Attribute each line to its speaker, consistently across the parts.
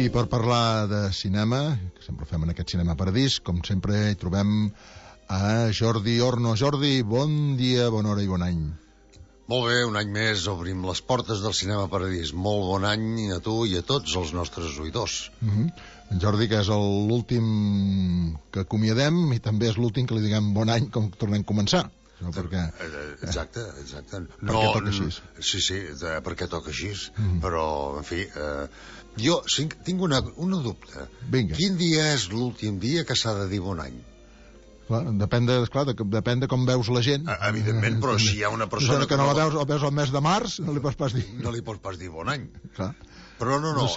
Speaker 1: I per parlar de cinema, que sempre fem en aquest Cinema Paradís, com sempre hi trobem a Jordi Orno. Jordi, bon dia, bona hora i bon any.
Speaker 2: Molt bé, un any més obrim les portes del Cinema Paradís. Molt bon any a tu i a tots els nostres oïdors.
Speaker 1: En Jordi, que és l'últim que acomiadem i també és l'últim que li diguem bon any com tornem a començar. No, perquè...
Speaker 2: Exacte.
Speaker 1: Perquè toca així.
Speaker 2: Sí, perquè toca així. Però, en fi, jo tinc una dubte.
Speaker 1: Vinga.
Speaker 2: Quin dia és l'últim dia que s'ha de dir bon any?
Speaker 1: Clar, depèn de com veus la gent.
Speaker 2: Evidentment, però si hi ha una persona
Speaker 1: que no la veus al mes de març, no li pots pas dir.
Speaker 2: No li pots pas dir bon any.
Speaker 1: Clar.
Speaker 2: Però no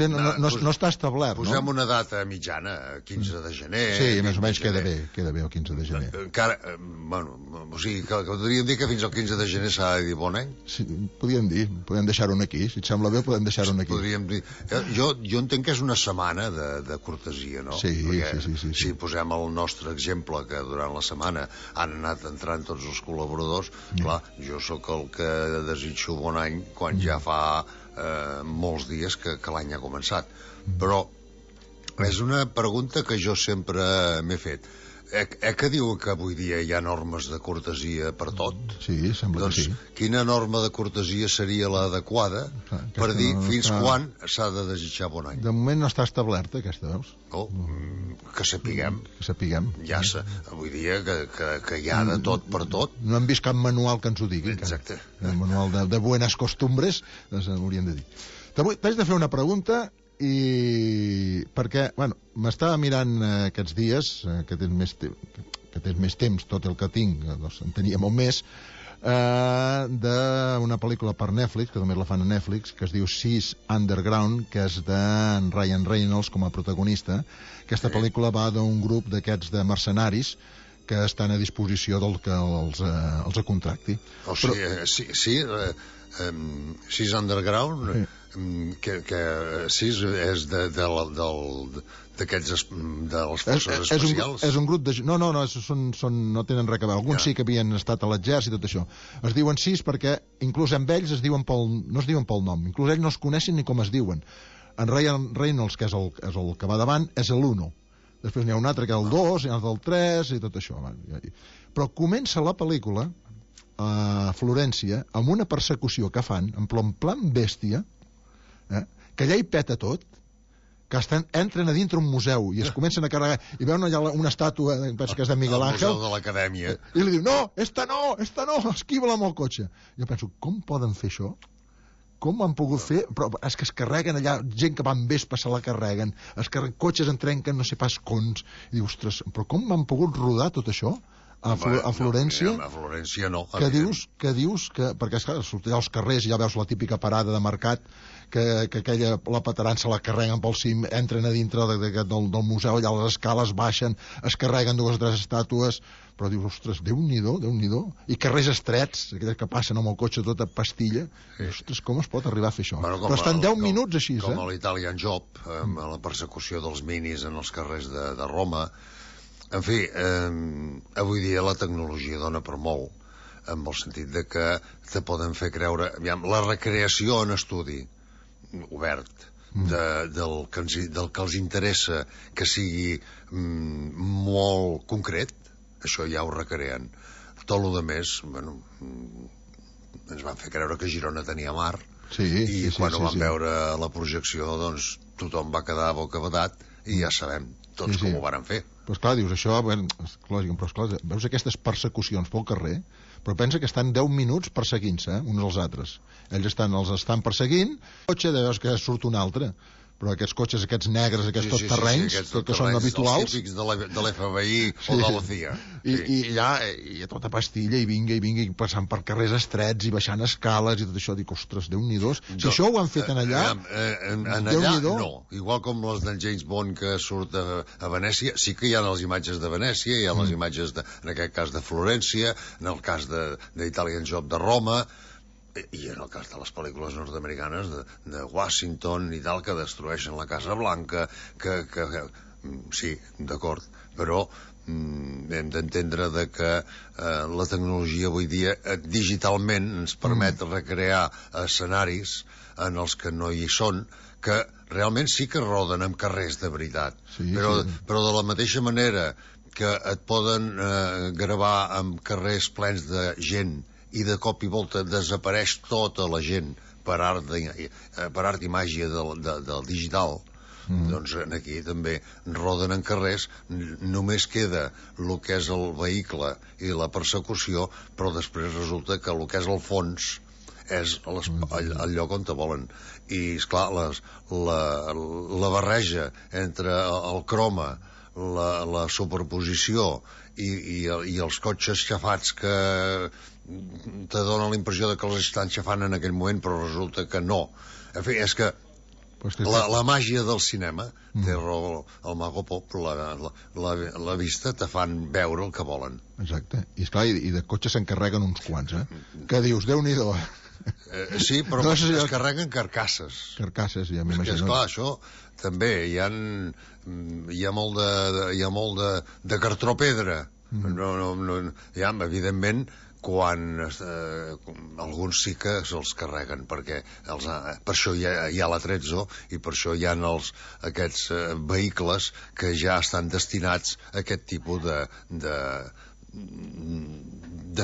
Speaker 1: està establert,
Speaker 2: posem una data mitjana, 15 de gener.
Speaker 1: Sí, més o menys queda bé el 15 de gener.
Speaker 2: Encara, o sigui, que podríem dir que fins al 15 de gener s'ha de dir bon any?
Speaker 1: Sí, podem deixar-ho aquí. Si et sembla bé, podem deixar-ho aquí.
Speaker 2: Podríem dir... Jo entenc que és una setmana de cortesia, no?
Speaker 1: Sí.
Speaker 2: Si posem el nostre exemple, que durant la setmana han anat entrant tots els col·laboradors, clar, jo sóc el que desitjo bon any quan ja fa molts dies que l'any ha començat. Però és una pregunta que jo sempre m'he fet. Que diu que avui dia hi ha normes de cortesia per tot?
Speaker 1: Sí, sembla que sí.
Speaker 2: Quina norma de cortesia seria l'adequada per dir fins quan s'ha de desitjar bon any?
Speaker 1: De moment no està establerta, aquesta, veus?
Speaker 2: Que sapiguem. Ja avui dia que hi ha de tot per tot.
Speaker 1: No hem vist cap manual que ens ho digui.
Speaker 2: Exacte.
Speaker 1: El manual de buenas costumbres, doncs hauríem de dir. T'haig de fer una pregunta perquè, m'estava mirant aquests dies, que tens més temps, tot el que tinc, doncs en tenia molt més, d'una pel·lícula per Netflix, que també la fan a Netflix, que es diu Six Underground, que és d'en Ryan Reynolds com a protagonista. Aquesta pel·lícula va d'un grup d'aquests de mercenaris que estan a disposició del que els contracti.
Speaker 2: O sigui, Six Underground, que Six és d'aquests de les forces especials.
Speaker 1: És un grup de... No tenen res a veure. Alguns sí que havien estat a l'exèrcit i tot això. Es diuen Six perquè inclús amb ells no es diuen pel nom. Inclús ells no es coneixen ni com es diuen. En Ryan Reynolds, que és el que va davant, és l'1. Després n'hi ha un altre que és el 2, n'hi ha el 3 i tot això. Però comença la pel·lícula a Florència amb una persecució que fan en plan bèstia, que allà hi peta tot, que entren a dintre un museu i es comencen a carregar i veuen allà una estàtua, penso que és de Miguel Ángel,
Speaker 2: el museu de l'Acadèmia,
Speaker 1: i li diu, no, esta no, esquiva-la amb el cotxe. Jo penso, com poden fer això? Com ho han pogut fer? Però és que es carreguen allà, gent que va amb vespa se la carreguen, cotxes en trenquen no sé pas cons, i diu, ostres, però com han pogut rodar tot això a Florència?
Speaker 2: A Florència no.
Speaker 1: Que dius que... Perquè, esclar, sortir als carrers i ja veus la típica parada de mercat que aquella, la pataran se la carreguen pel cim, entren a dintre del museu, allà a les escales baixen, es carreguen 2 o 3 estàtues, però dius, ostres, Déu-n'hi-do, i carrers estrets, aquells que passen amb el cotxe tota pastilla, ostres, com es pot arribar a fer això? Però estan 10 minuts així,
Speaker 2: com a l'Italian Job, amb la persecució dels minis en els carrers de Roma. En fi, avui dia la tecnologia dona per molt, en el sentit de que te poden fer creure... La recreació en estudi obert del que els interessa que sigui molt concret, això ja ho recreen. Tot el més, ens van fer creure que Girona tenia mar, i quan ho van veure a la projecció, doncs tothom va quedar bocabadat i ja sabem tots com ho varen fer.
Speaker 1: Però esclar, dius, això, però esclar, veus aquestes persecucions pel carrer, però pensa que estan 10 minuts perseguint-se, uns als altres. Ells els estan perseguint, el cotxe veus que surt un altre, però aquests cotxes, aquests negres, aquests terrenys, que són habituals...
Speaker 2: Els típics de l'FBI o de la CIA.
Speaker 1: I ja, i tota pastilla, i vinga, i passant per carrers estrets, i baixant escales, i tot això, dic, ostres, Déu-n'hi-do. Si això ho han fet en allà,
Speaker 2: Déu-n'hi-do. No, igual com les del James Bond que surt a Venècia, sí que hi ha les imatges de Venècia, hi ha les imatges, en aquest cas, de Florència, en el cas d'Italian Job de Roma, i en el cas de les pel·lícules nord-americanes de Washington i tal, que destrueixen la Casa Blanca, que sí, d'acord, però hem d'entendre que la tecnologia avui dia digitalment ens permet recrear escenaris en els que no hi són, que realment sí que roden en carrers de veritat, però de la mateixa manera que et poden gravar en carrers plens de gent i de cop i volta desapareix tota la gent per art i màgia del digital, doncs aquí també roden en carrers, només queda el que és el vehicle i la persecució, però després resulta que el que és el fons és el lloc on te volen. I, esclar, la barreja entre el croma, la superposició i els cotxes xafats que te dona la impressió que els estan xafant en aquell moment, però resulta que no. En fi, és que la màgia del cinema, té raó el Mago Pop, la vista te fan veure el que volen.
Speaker 1: Exacte. I esclar, i de cotxes s'encarreguen uns quants, que dius, Déu-n'hi-do.
Speaker 2: Sí, però es carreguen carcasses.
Speaker 1: Carcasses, ja m'imagino.
Speaker 2: Esclar, això també hi ha molt de cartró-pedra. Evidentment, quan alguns sí que se'ls carreguen, perquè per això hi ha l'Atrezzo i per això hi ha aquests vehicles que ja estan destinats a aquest tipus de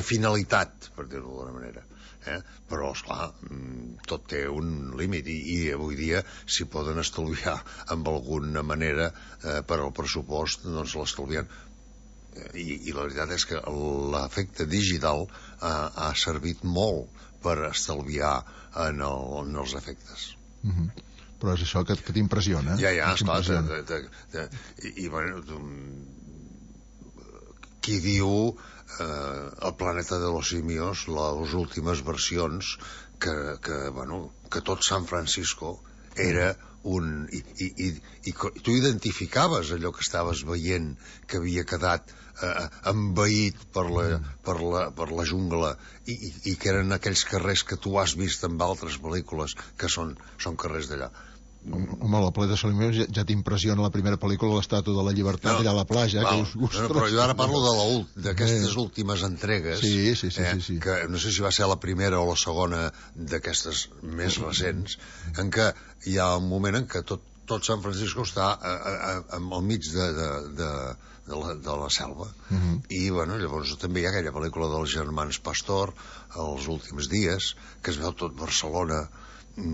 Speaker 2: finalitat, per dir-ho d'alguna manera. Però, esclar, tot té un límit i avui dia si poden estalviar amb alguna manera per al pressupost, doncs l'estalvien. I la veritat és que l'efecte digital ha servit molt per estalviar en els efectes.
Speaker 1: Però és això que t'impressiona.
Speaker 2: Ja, esclar. I bueno, qui diu el planeta de los simios, les últimes versions, que tot San Francisco era i tu identificaves allò que estaves veient que havia quedat envaït per la jungla i que eren aquells carrers que tu has vist en altres pel·lícules que són carrers d'allà.
Speaker 1: Home, la Ple de Salimers ja t'impressiona la primera pel·lícula, l'Estàtua de la Llibertat, allà a la platja.
Speaker 2: Però jo ara parlo d'aquestes últimes entregues, que no sé si va ser la primera o la segona d'aquestes més recents, en què hi ha un moment en què tot San Francisco està al mig de la selva. I llavors també hi ha aquella pel·lícula dels germans Pastor, Els últims dies, que es veu tot Barcelona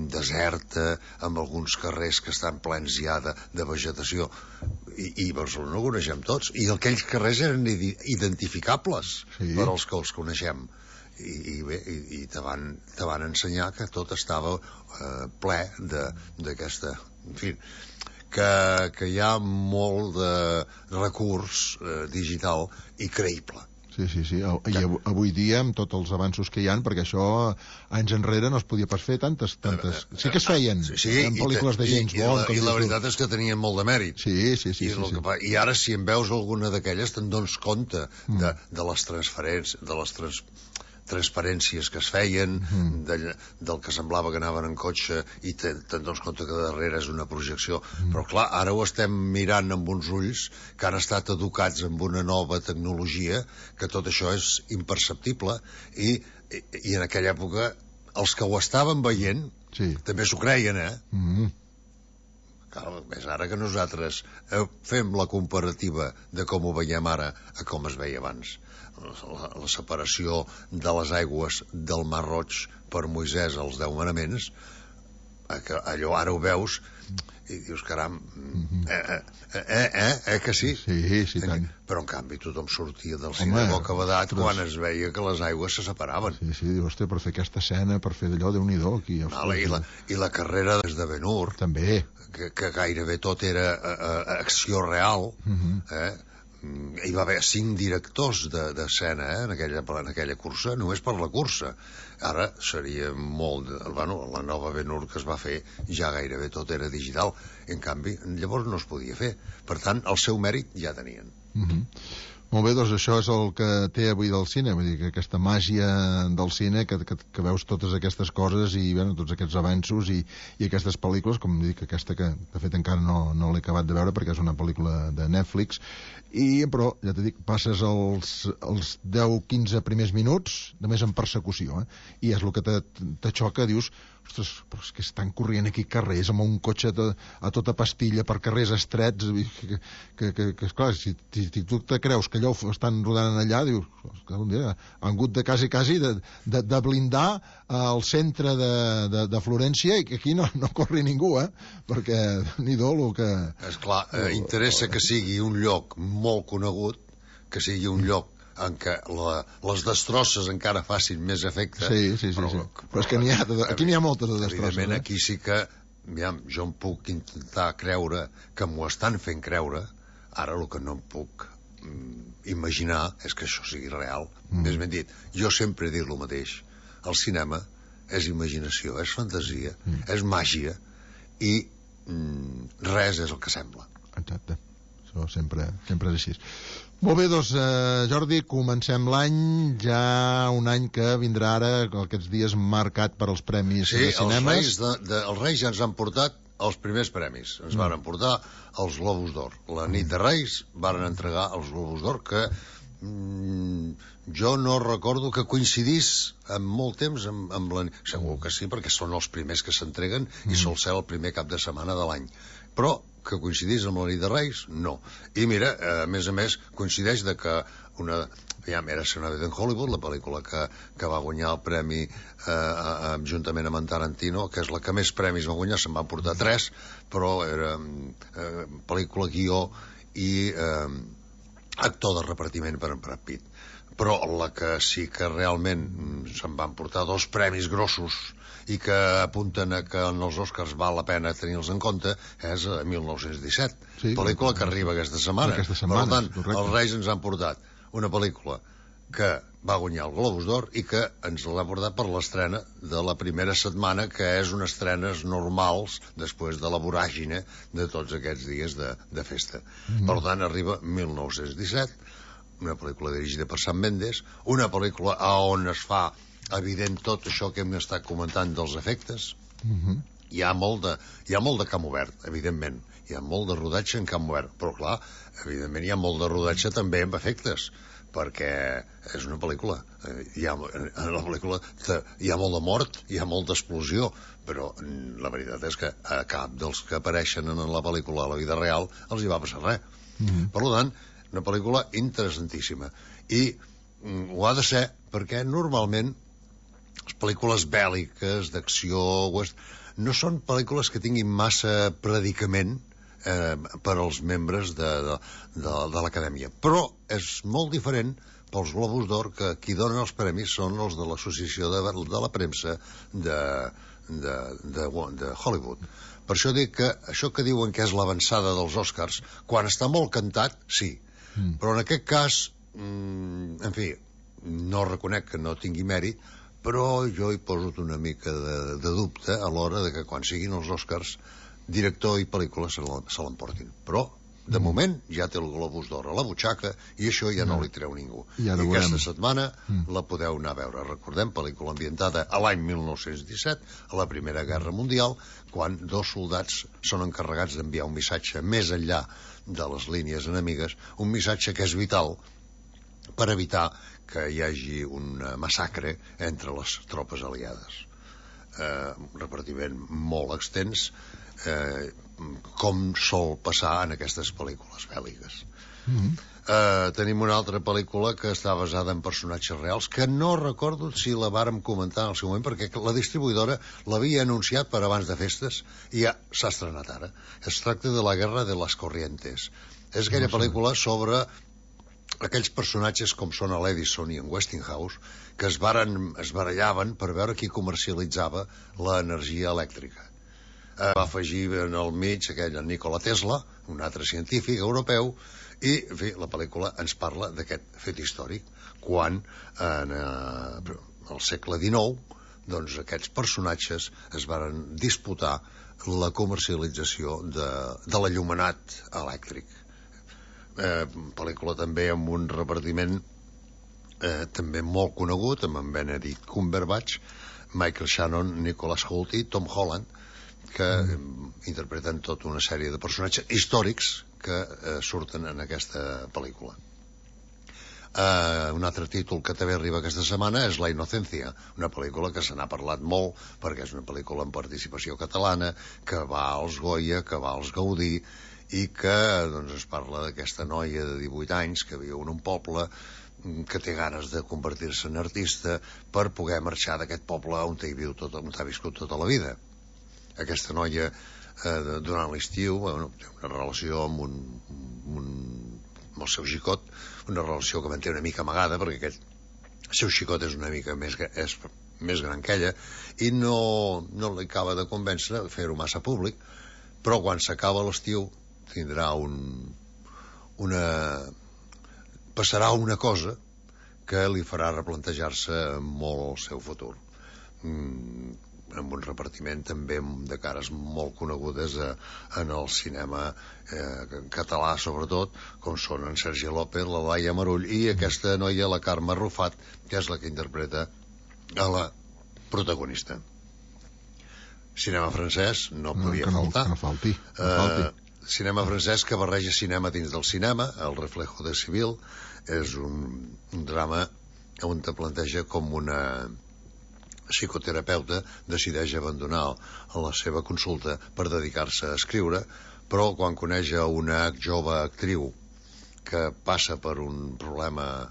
Speaker 2: deserta, amb alguns carrers que estan plens ja de vegetació, i Barcelona ho coneixem tots, i aquells carrers eren identificables per als que els coneixem, i bé, i te van ensenyar que tot estava ple d'aquesta, en fi, que hi ha molt de recurs digital i creïble.
Speaker 1: Sí. I avui dia, amb tots els avanços que hi ha, perquè això anys enrere no es podia pas fer tantes... Sí que es feien en pel·lícules de James Bond.
Speaker 2: I la veritat és que tenien molt de mèrit.
Speaker 1: Sí.
Speaker 2: I ara, si en veus alguna d'aquelles, te'n dones compte de les transparències que es feien, del que semblava que anaven en cotxe, i te'n dones compte que darrere és una projecció. Però clar, ara ho estem mirant amb uns ulls que han estat educats amb una nova tecnologia, que tot això és imperceptible, i en aquella època els que ho estaven veient també s'ho creien, Clar, és ara que nosaltres fem la comparativa de com ho veiem ara a com es veia abans. La separació de les aigües del Mar Roig per Moisès als 10 manaments, allò ara ho veus i dius, caram, que sí?
Speaker 1: Sí, tant.
Speaker 2: Però en canvi tothom sortia del cine de boca badat quan es veia que les aigües se separaven.
Speaker 1: Sí, dius, hòstia, per fer aquesta escena, per fer d'allò, Déu-n'hi-do aquí.
Speaker 2: I la carrera des de Ben-Hur,
Speaker 1: també,
Speaker 2: que gairebé tot era acció real, hi va haver 5 directors d'escena en aquella cursa, només per la cursa. Ara seria molt... la nova Ben-Hur que es va fer ja gairebé tot era digital. En canvi, llavors no es podia fer. Per tant, el seu mèrit ja tenien.
Speaker 1: Molt bé, doncs això és el que té avui del cine, vull dir que aquesta màgia del cine, que veus totes aquestes coses i bueno, tots aquests avanços i aquestes pel·lícules, com dic, aquesta que de fet encara no l'he acabat de veure perquè és una pel·lícula de Netflix, però ja t'he dit, passes els 10-15 primers minuts només en persecució, i és el que te xoca, dius, ostres, però és que estan corrent aquí carrers amb un cotxe a tota pastilla per carrers estrets, que esclar, si tu te creus que allò ho estan rodant allà, dius, un dia han hagut de quasi de blindar el centre de Florència i que aquí no corri ningú, perquè ni-do el que...
Speaker 2: Esclar, interessa que sigui un lloc molt conegut, que sigui un lloc en què les destrosses encara facin més efecte.
Speaker 1: Sí. Però és que aquí n'hi ha moltes de destrosses.
Speaker 2: Evidentment, aquí sí que jo em puc intentar creure que m'ho estan fent creure. Ara el que no em puc imaginar és que això sigui real. Més ben dit, jo sempre he dit el mateix. El cinema és imaginació, és fantasia, és màgia, i res és el que sembla.
Speaker 1: Exacte. Això sempre és així. Molt bé, doncs, Jordi, comencem l'any, ja un any que vindrà ara, aquests dies marcat per als premis de cinemes.
Speaker 2: Sí, els Reis ja ens han portat els primers premis. Ens van portar els Globus d'Or. La nit de Reis varen entregar els Globus d'Or, que jo no recordo que coincidís en molt temps amb la... Segur que sí, perquè són els primers que s'entreguen i sol ser el primer cap de setmana de l'any. Però que coincidís amb la nit de Reis, no. I mira, a més, coincideix de que era Sonada en Hollywood, la pel·lícula que va guanyar el premi juntament amb en Tarantino, que és la que més premis va guanyar, se'n van portar 3, però era pel·lícula, guió i actor de repartiment per en Brad Pitt. Però la que sí que realment se'n van portar 2 premis grossos i que apunten a que en els Oscars val la pena tenir-los en compte és 1917, pel·lícula que arriba aquesta setmana. Per tant, els Reis ens han portat una pel·lícula que va guanyar el Globus d'Or i que ens l'ha portat per l'estrena de la primera setmana, que és unes estrenes normals després de la voràgine de tots aquests dies de festa. Per tant, arriba 1917, una pel·lícula dirigida per Sam Mendes, una pel·lícula on es fa evident tot això que hem estat comentant dels efectes. Hi ha molt de camp obert, evidentment. Hi ha molt de rodatge en camp obert, però clar, evidentment hi ha molt de rodatge també amb efectes, perquè és una pel·lícula. En la pel·lícula hi ha molt de mort, hi ha molta explosió, però la veritat és que a cap dels que apareixen en la pel·lícula a la vida real els hi va passar res. Per tant, una pel·lícula interessantíssima. I ho ha de ser, perquè normalment les pel·lícules bèl·liques, d'acció, no són pel·lícules que tinguin massa predicament per als membres de l'Acadèmia. Però és molt diferent pels Globus d'Or, que qui donen els premis són els de l'Associació de la Premsa de Hollywood. Per això dic que això que diuen que és l'avançada dels Oscars, quan està molt cantat, sí. Però en aquest cas, en fi, no reconec que no tingui mèrit, però jo hi poso una mica de dubte a l'hora de que quan siguin els Oscars, director i pel·lícula se l'emportin. Però, de moment, ja té el Globus d'Or a la butxaca i això ja no li treu ningú. I aquesta setmana la podeu anar a veure. Recordem, pel·lícula ambientada a l'any 1917, a la Primera Guerra Mundial, quan 2 soldats són encarregats d'enviar un missatge més enllà de les línies enemigues, un missatge que és vital per evitar que hi hagi un massacre entre les tropes aliades. Un repartiment molt extens, com sol passar en aquestes pel·lícules bèl·liques. Tenim una altra pel·lícula que està basada en personatges reals, que no recordo si la vàrem comentar en el seu moment, perquè la distribuïdora l'havia anunciat per abans de festes i ja s'ha estrenat ara. Es tracta de La Guerra de las Corrientes. És aquella pel·lícula sobre aquells personatges com són l'Edison i en Westinghouse, que es barallaven per veure qui comercialitzava l'energia elèctrica. Va afegir en el mig aquell Nikola Tesla, un altre científic europeu, i en fi, la pel·lícula ens parla d'aquest fet històric, quan en el segle XIX doncs aquests personatges es varen disputar la comercialització de l'enllumenat elèctric. pel·lícula també amb un repartiment també molt conegut, amb en Benedict Cumberbatch, Michael Shannon, Nicholas Hoult i Tom Holland, que interpreten tota una sèrie de personatges històrics que surten en aquesta pel·lícula. Un altre títol que també arriba aquesta setmana és La Inocencia, una pel·lícula que se n'ha parlat molt perquè és una pel·lícula en participació catalana, que va als Goya, que va als Gaudí, i que doncs, es parla d'aquesta noia de 18 anys que viu en un poble, que té ganes de convertir-se en artista per poder marxar d'aquest poble on ha viscut tota la vida. Aquesta noia, durant l'estiu, té una relació amb el seu xicot, una relació que manté una mica amagada, perquè aquest seu xicot és una mica més gran que ella, i no li acaba de convèncer de fer-ho massa públic, però quan s'acaba l'estiu tindrà passarà una cosa que li farà replantejar-se molt el seu futur. Amb un repartiment també de cares molt conegudes en el cinema català, sobretot, com són en Sergi López, la Laia Marull i aquesta noia, la Carme Rufat, que és la que interpreta a la protagonista. Cinema francès no podia faltar.
Speaker 1: Que no falti.
Speaker 2: Cinema francès que barreja cinema dins del cinema, El reflejo de Sibyl, és un drama on te planteja com una psicoterapeuta decideix abandonar la seva consulta per dedicar-se a escriure, però quan coneix una jove actriu que passa per un problema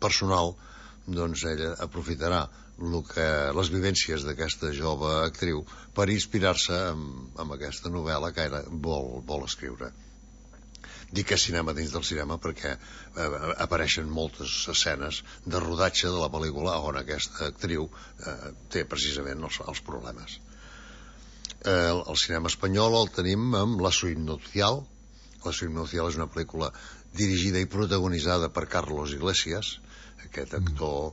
Speaker 2: personal, doncs ella aprofitarà les vivències d'aquesta jove actriu per inspirar-se amb aquesta novel·la que ella vol escriure. Dic que és cinema dins del cinema perquè apareixen moltes escenes de rodatge de la pel·lícula on aquesta actriu té precisament els problemes. El cinema espanyol el tenim amb La Suite Nupcial. La Suite Nupcial és una pel·lícula dirigida i protagonitzada per Carlos Iglesias, aquest actor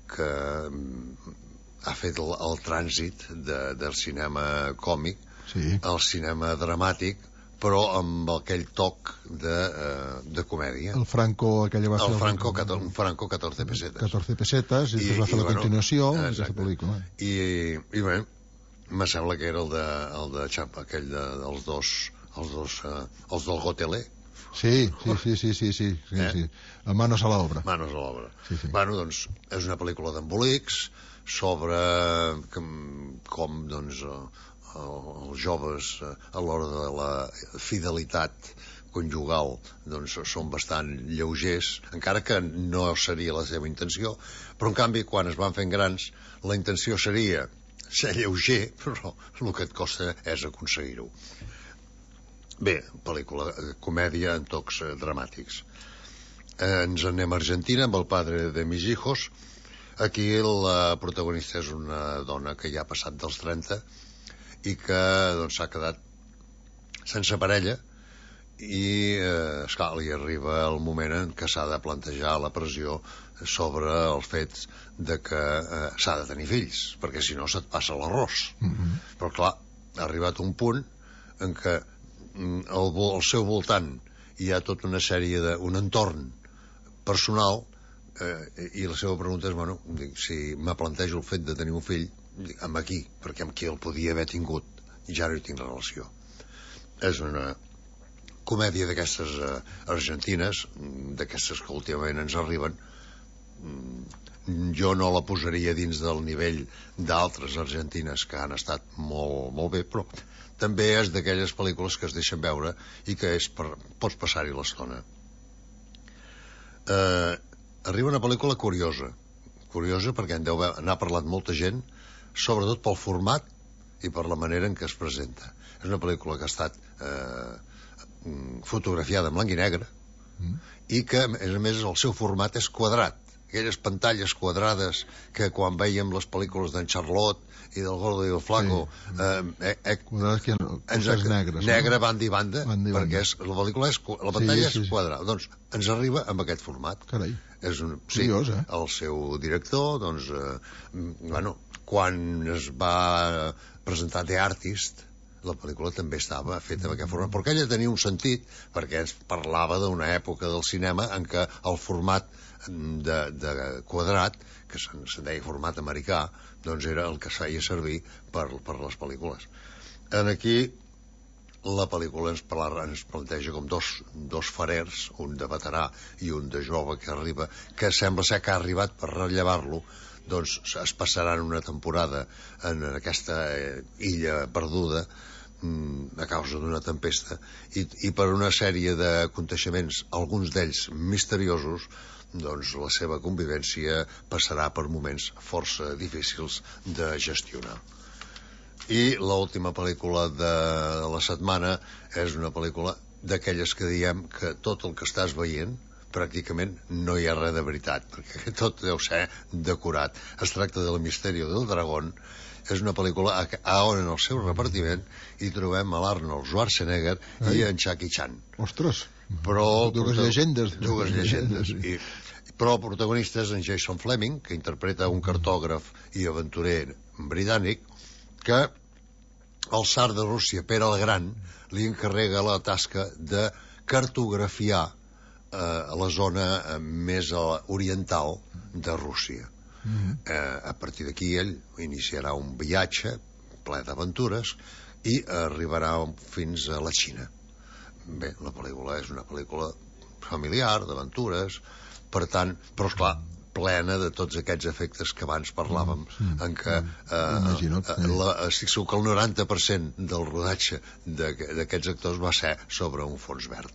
Speaker 2: que ha fet el trànsit del cinema còmic al cinema dramàtic, però amb aquell toc de comèdia.
Speaker 1: El Franco, aquella va ser...
Speaker 2: Un Franco 14 pesetes.
Speaker 1: 14 pesetes, i després va fer la continuació d'aquesta pel·lícula.
Speaker 2: I bé, me sembla que era el de Champa, aquell dels dos, els del Gotelé.
Speaker 1: Sí. Manos a l'obra.
Speaker 2: Manos a l'obra. Bueno, doncs, és una pel·lícula d'embolics sobre com, doncs, els joves a l'hora de la fidelitat conjugal doncs són bastant lleugers, encara que no seria la seva intenció, però en canvi quan es van fent grans la intenció seria ser lleuger, però el que et costa és aconseguir-ho. Bé, pel·lícula comèdia en tocs dramàtics. Ens anem a Argentina amb El padre de mis hijos. Aquí la protagonista és una dona que ja ha passat dels 30 i que doncs, s'ha quedat sense parella i esclar, li arriba el moment en què s'ha de plantejar la pressió sobre el fet de que s'ha de tenir fills, perquè si no se't passa l'arròs. Però clar, ha arribat un punt en què al seu voltant hi ha tota una sèrie un entorn personal i la seva pregunta és, bueno, si me plantejo el fet de tenir un fill, amb aquí, perquè amb qui el podia haver tingut ja no hi tinc relació. És una comèdia d'aquestes argentines, d'aquestes que últimament ens arriben. Jo no la posaria dins del nivell d'altres argentines que han estat molt, molt bé, però també és d'aquelles pel·lícules que es deixen veure i que pots passar-hi l'estona. Arriba una pel·lícula curiosa perquè n'ha parlat molta gent, sobretot pel format i per la manera en què es presenta. És una pel·lícula que ha estat fotografiada en blanc i negre i que, a més, el seu format és quadrat. Aquelles pantalles quadrades que quan veiem les pel·lícules d'en Charlotte i del Gordo i el Flaco negre banda i banda, perquè la pantalla és quadrada. Doncs ens arriba amb aquest format.
Speaker 1: Carai,
Speaker 2: curiós, eh? El seu director, doncs, quan es va presentar The Artist la pel·lícula també estava feta d'aquesta forma, però aquella tenia un sentit, perquè es parlava d'una època del cinema en què el format de quadrat, que se'n deia format americà, doncs era el que es feia servir per les pel·lícules. Aquí la pel·lícula ens planteja com dos farers, un de veterà i un de jove que arriba, que sembla ser que ha arribat per rellevar-lo. Doncs es passaran una temporada en aquesta illa perduda a causa d'una tempesta i per una sèrie d'aconteixements, alguns d'ells misteriosos, doncs la seva convivència passarà per moments força difícils de gestionar. I l'última pel·lícula de la setmana és una pel·lícula d'aquelles que diem que tot el que estàs veient pràcticament no hi ha res de veritat, perquè tot deu ser decorat. Es tracta del Misteri del Dragón. És una pel·lícula on en el seu repartiment hi trobem a l'Arnold Schwarzenegger i en Jackie Chan.
Speaker 1: Ostres,
Speaker 2: però
Speaker 1: dues llegendes.
Speaker 2: Però protagonistes en Jason Fleming, que interpreta un cartògraf i aventurer britànic, que el tsar de Rússia, Pere el Gran, li encarrega la tasca de cartografiar a la zona més oriental de Rússia. A partir d'aquí ell iniciarà un viatge ple d'aventures i arribarà fins a la Xina. Bé, la pel·lícula és una pel·lícula familiar, d'aventures, per tant, però esclar, plena de tots aquests efectes que abans parlàvem, en què estic segur que el 90% del rodatge d'aquests actors va ser sobre un fons verd.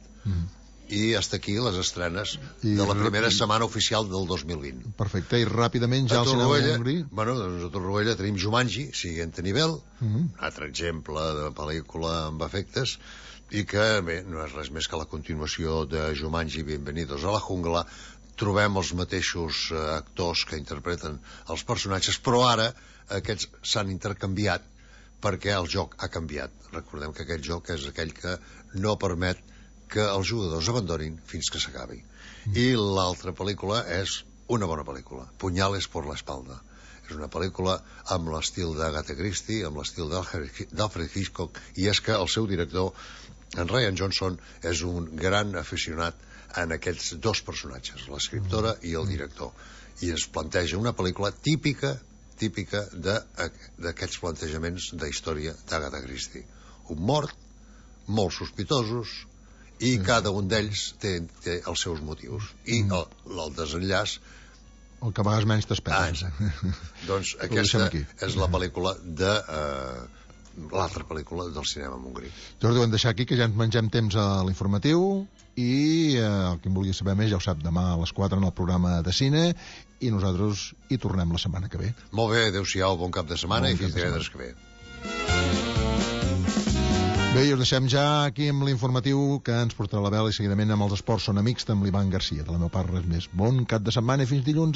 Speaker 2: I hasta aquí les estrenes de la primera setmana oficial del 2020.
Speaker 1: Perfecte, i ràpidament ja al cinema Montgrí.
Speaker 2: Bueno, doncs a Torroella tenim Jumanji, siguiente nivel, un altre exemple de pel·lícula amb efectes, i que, bé, no és res més que la continuació de Jumanji, Bienvenidos a la Jungla. Trobem els mateixos actors que interpreten els personatges, però ara aquests s'han intercanviat perquè el joc ha canviat. Recordem que aquest joc és aquell que no permet que els jugadors abandonin fins que s'acabi. I l'altra pel·lícula és una bona pel·lícula, Puñales por la espalda. És una pel·lícula amb l'estil d'Agatha Christie, amb l'estil d'Alfred Hitchcock, i és que el seu director, en Rian Johnson, és un gran aficionat en aquests dos personatges, l'escriptora i el director. I ens planteja una pel·lícula típica d'aquests plantejaments de història d'Agatha Christie. Un mort, molt sospitosos, i cada un d'ells té els seus motius. I el desenllaç...
Speaker 1: El que a vegades menys t'esperes.
Speaker 2: Doncs aquesta és la pel·lícula de... l'altra pel·lícula del cinema Montgrí.
Speaker 1: Jordi, ho hem deixat aquí, que ja ens mengem temps a l'informatiu, i el que en vulgui saber més ja ho sap, demà a les 4 en el programa de cine, i nosaltres hi tornem la setmana que ve.
Speaker 2: Molt bé, adeu-siau, bon cap de setmana i fins divendres que ve.
Speaker 1: Bé, i us deixem ja aquí amb l'informatiu que ens portarà la vela, i seguidament amb els esports són amics amb l'Ivan Garcia. De la meva part res més. Bon cap de setmana i fins dilluns.